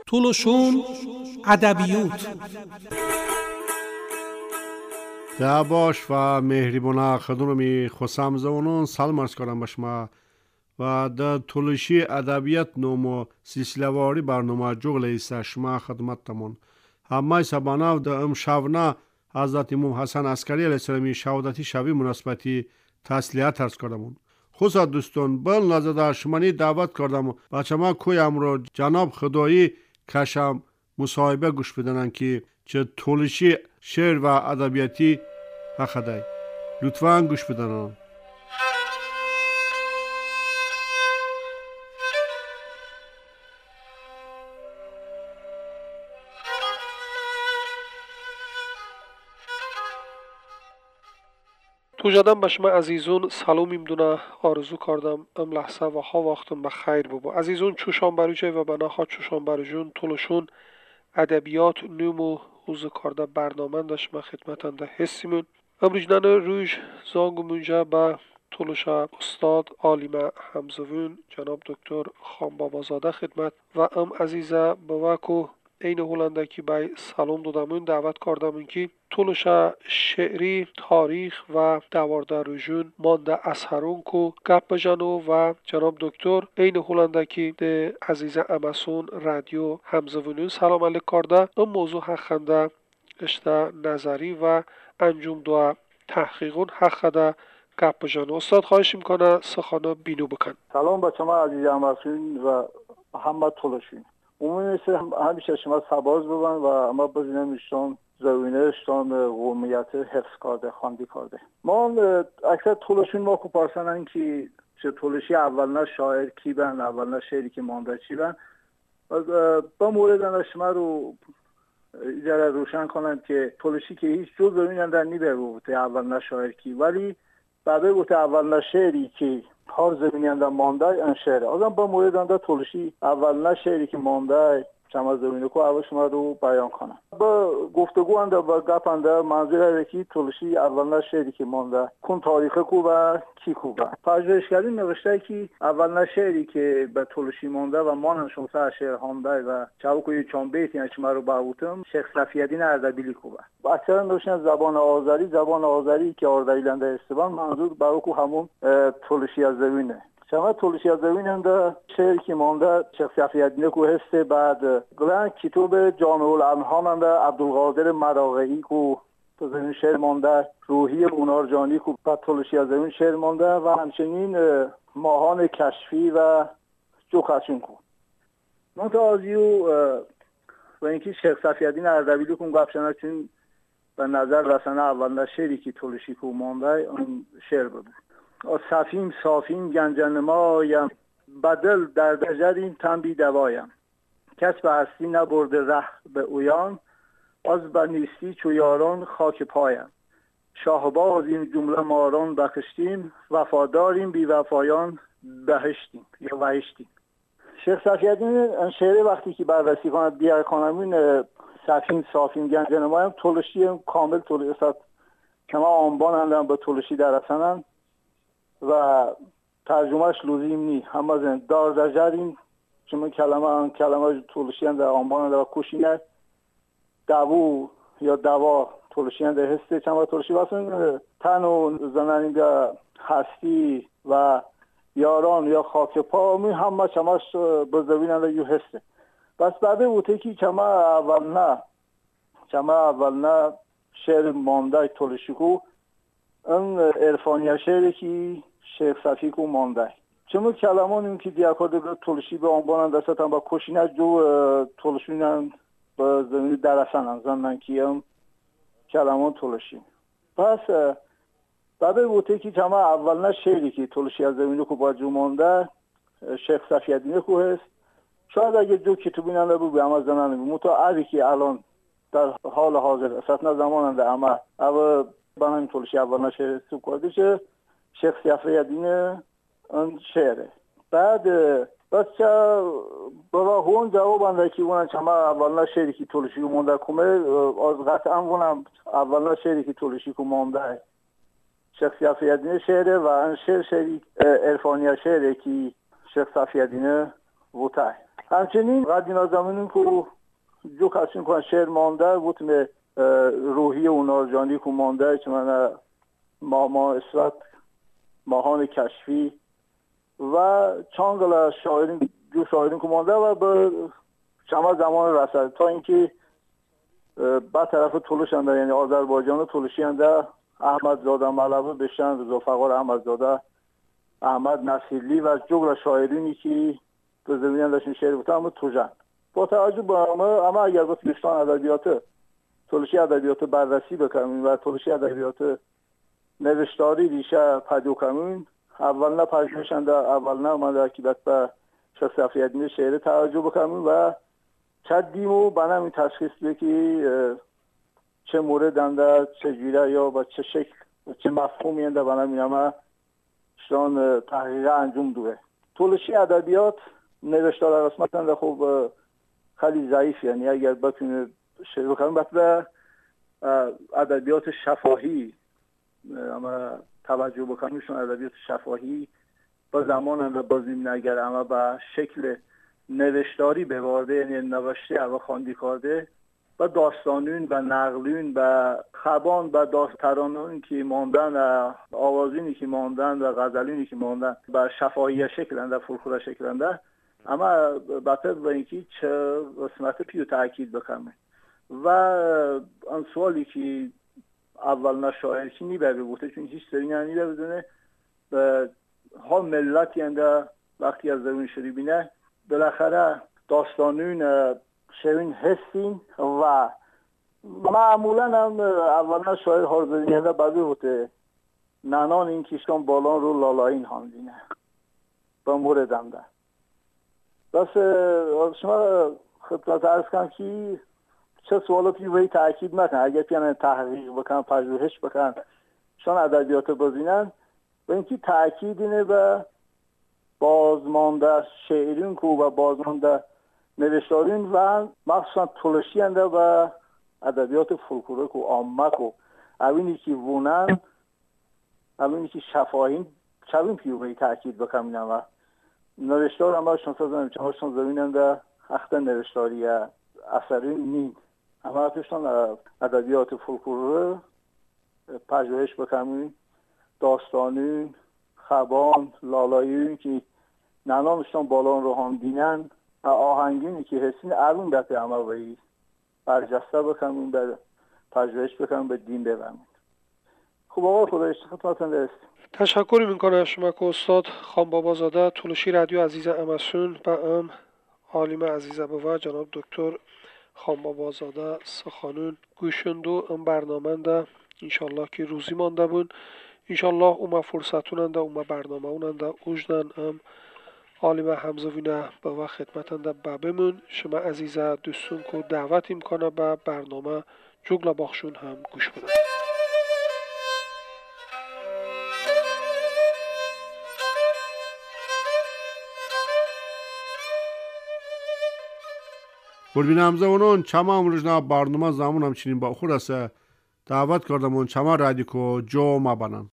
Тулушун адабиют. Dabosh va mehribona xadunami xusamzonun salom arz кардам ба шумо ва дар тулуши адабият ному силсилавори барнома ҷуғлеиса шумо хидматтамон. Ҳамаи сабанав да имшавна ҳазрат имом Ҳасан Аскарӣ алайҳиссалами шаҳодати шаби муносибати таслият арз кардамон. Хусад дӯстон, бил назада шумани даъват кардам бачама кӯямро ҷаноб Худоӣ кашам мусоҳиба гӯш бидананд ки чӣ тулуши шеър ва адабиятӣ ҳақадай. Лутфан гӯш бидананд. Тужадан ба шумо азизун салом имдуна орзу кардам ам лаҳза ва ҳа вақтун ба хайр бубу. Азизун чушон баруҷай ва банаҳо чушон баруҷун тулушун адабиёт нуму ҳузу карда барноманда шумо хидматанда ҳиссимун. Амружнана рӯж зангу мунҷа ба тулуша устод олима ҳамзувун ҷаноб доктор Хонбобозода хидмат ва ам азиза баваку эйни ҳуланда ки бай салом додамун даъват кардамун ки тулуша шеъри таърих ва даварда рӯжун монда асарун ку гап бижану ва ҷаноб доктор эйни ҳуланда ки де азиза амасун радио ҳамзувунун салом алик карда ин мавзӯъ ҳаққанда ишта назарӣ ва анҷум дуа таҳқиқун ҳаққада гап бижану. Устод хоҳиш мекунам сухано бину бикун. Салом ба шумо азиз амасун ва ҳама тулушин. умумӣ ҳамеша шумо сабоз буванд ва ма бизинем ишон زوینهشتان قومیت حفظ کرده خواندی کرده. ما اکثر طولشون ما خوب پرسنن که چه طولشی اول نه شاعر کی بن اول نه شعری که مانده چی بن. با مورد شما رو ایجاره روشن کنم که طولشی که هیچ جز زوینن در نیبه بوده اول نه شاعر کی، ولی بعد بوده اول نه شعری که هر زمینی در مانده این شعره. آدم با مورد اندر طولشی اول نه شعری که مانده چما زمینه کو اول شما رو بیان کنم. با گفتگو اندر و گپ اندر منظور که طولشی اول نه شعری که مانده کن تاریخ کو و کی کو و پژوهشگری نوشته که اول نه شعری که به طولشی مانده و مانند شما سر شعر خوانده و چاوکوی چون بیت یعنی شما رو باوتم شیخ صفی‌الدین اردبیلی کو و اکثرا نوشتن زبان آذری، زبان آذری که اردبیلنده استبان منظور باوکو همون طولشی از زمینه. شما طولشی از زمین هم ده شعر که مانده شیخ صفی‌الدین کو هسته. بعد گلن کتاب جامع الانهام هم ده عبدالقادر مراغه‌ای کو تو زمین شعر مانده، روحی اونارجانی کو بعد طولشی از زمین شعر مانده و همچنین ماهان کشفی و جوخشین کو. منتها از یو و اینکه شیخ صفی‌الدین اردبیلی کو قبشنه چون به نظر رسانه اولین شعری که طولشی کو مانده اون شعر بود. صفیم صافیم گنجنمایم بدل در دجریم تن بی دوایم کس به هستی نبرده ره به اویان از به نیستی چو یاران خاک پایم شاهباز این جمله ماران بخشتیم وفاداریم بی وفایان بهشتیم یا وحشتیم. شیخ صفی‌الدین این شعر وقتی که بررسی کند بیار کنم صفیم صافیم گنجنمایم طولشی کامل طولشی کما آنبان به طولشی درسنن و ترجمهش لازم نی همه زن دار دجریم چون کلمه آن کلمه طولشی در آنبان در کوشینه دو یا دوا طولشی در هسته چند طولشی واسه تن و زنانی به هستی و یاران یا خاک پا می همه چماش بزوینن یو هسته. بس بعد بوده که کما اول نه کما اول نه شعر مانده طولشی کو این عرفانی شعری که شیخ صفی کو مانده. چون کلمان این که دیاکارده به طولشی به عنوان دستتان با کشینه جو طولشینن به زمین درسنن زنن که هم کلمان طولشی. پس بعد بوده که کما اول نه شعری که طولشی از زمین کو با جو مانده شیخ صفی‌الدین کو هست. شاید اگه جو کتابینن بود به اما زنن بود. متا که الان در حال حاضر اصلا زماننده اما اول بنام طولشی اول نه شعر سو کرده چه شیخ صفی‌الدین اون شعره. بعد بس چه بابا هون جواب انده که اونم چما اول نه شعری که طولشی مونده کمه از قطعا اونم اول نه شعری که طولشی کو مونده شیخ صفی‌الدین شعره و این شعر شعری عرفانی شعره که شیخ صفی‌الدین وته. همچنین قدیم زمانون که جو کسین کن شعر مانده بود روحی اونارجانی که مانده که من ماما اسرت ماهان کشفی و چند شاعرین جو شاعرین که مانده و به چند زمان رسد تا اینکه بعد طرف تولش انده یعنی آذربایجان تولشی انده احمد زاده ملوه بشن ذوالفقار احمدزاده احمد نصیرلی و جغل شاعرینی که به زمین داشتن شعر بودن اما توجن با توجه به اما اگر با تولشان ادبیات تولشی ادبیات بررسی بکنیم و تولشی ادبیات نوشتاری ریشه پدو کنیم اول نه پژوهشنده اول نه من که به شخص افریدین شعر توجه بکنیم و چدیم و بنام این تشخیص بده که چه مورد انده چه جوره یا با چه شکل و چه مفهومی انده بنام این همه شان تحقیق انجام دوه. تولشی ادبیات نوشتار قسمت انده خوب خیلی ضعیف، یعنی اگر بتونه شروع کنیم باید به ادبیات شفاهی اما توجه بکنیم، چون ادبیات شفاهی با زمان انده بازیم نگر اما به شکل نوشتاری بوارده، یعنی نوشته و خواندی کرده و داستانون و نقلون و خبان و داستانون که ماندن و آوازینی که ماندن و غزلینی که ماندن به شفاهی شکلنده فولکلور شکلنده، اما بطر به اینکه چه قسمت پیو تاکید بکنه و آن سوالی که اول نه شاعر که نیبه بوده چون هیچ سری نیبه بدونه ها ملتی انده وقتی از زمین شری بینه بالاخره داستانون شوین هستین و معمولا هم اولا شاعر هارزدینه بعضی بوده ننان این کشتان بالان رو لالایین هاندینه با موردم ده. بس شما خدمت عرض کنم که چه سوالاتی روی تأکید نکن، اگر پیانه تحقیق بکن پژوهش بکن شان ادبیات بزینن و اینکه تأکید اینه به بازمانده شعرین کو و بازمانده نوشتارین و مخصوصا تولشی انده و ادبیات فولکلوریک و عامه کو اوینی که وونن اوینی که شفاهین چوین پیوهی تأکید بکنم و نوشتار هم شان سازم چون شان زمین انده اخت نوشتاری اثری نین اما پیشتان ادبیات فولکلور پژوهش بکنیم داستانین خبان لالایین که ننامشتان بالان رو هم دینن و آهنگینی که حسین ارون دفعه همه بایی برجسته بکنیم به پژوهش بکنیم به دین ببریم. خب آقا خدایش خدمتتون رسید. تشکر میکنم شما که استاد خان بابازاده تولشی رادیو عزیز امسون و ام عالم عزیز و جناب دکتر خان بابازاده سخانون گوشندو ام برنامه ده انشالله که روزی مانده بون انشالله اوما فرصتوننده اوما برنامه اوننده اوجدن ام عالم همزوینه به و خدمتنده ببمون شما عزیزه دوستون که دعوت امکانه به برنامه جگل باخشون هم گوش بدن. قربین همزوانان چما امروزنا برنامه زمان همچنین با خور است دعوت کردم چما رادیکو جو ما بنن.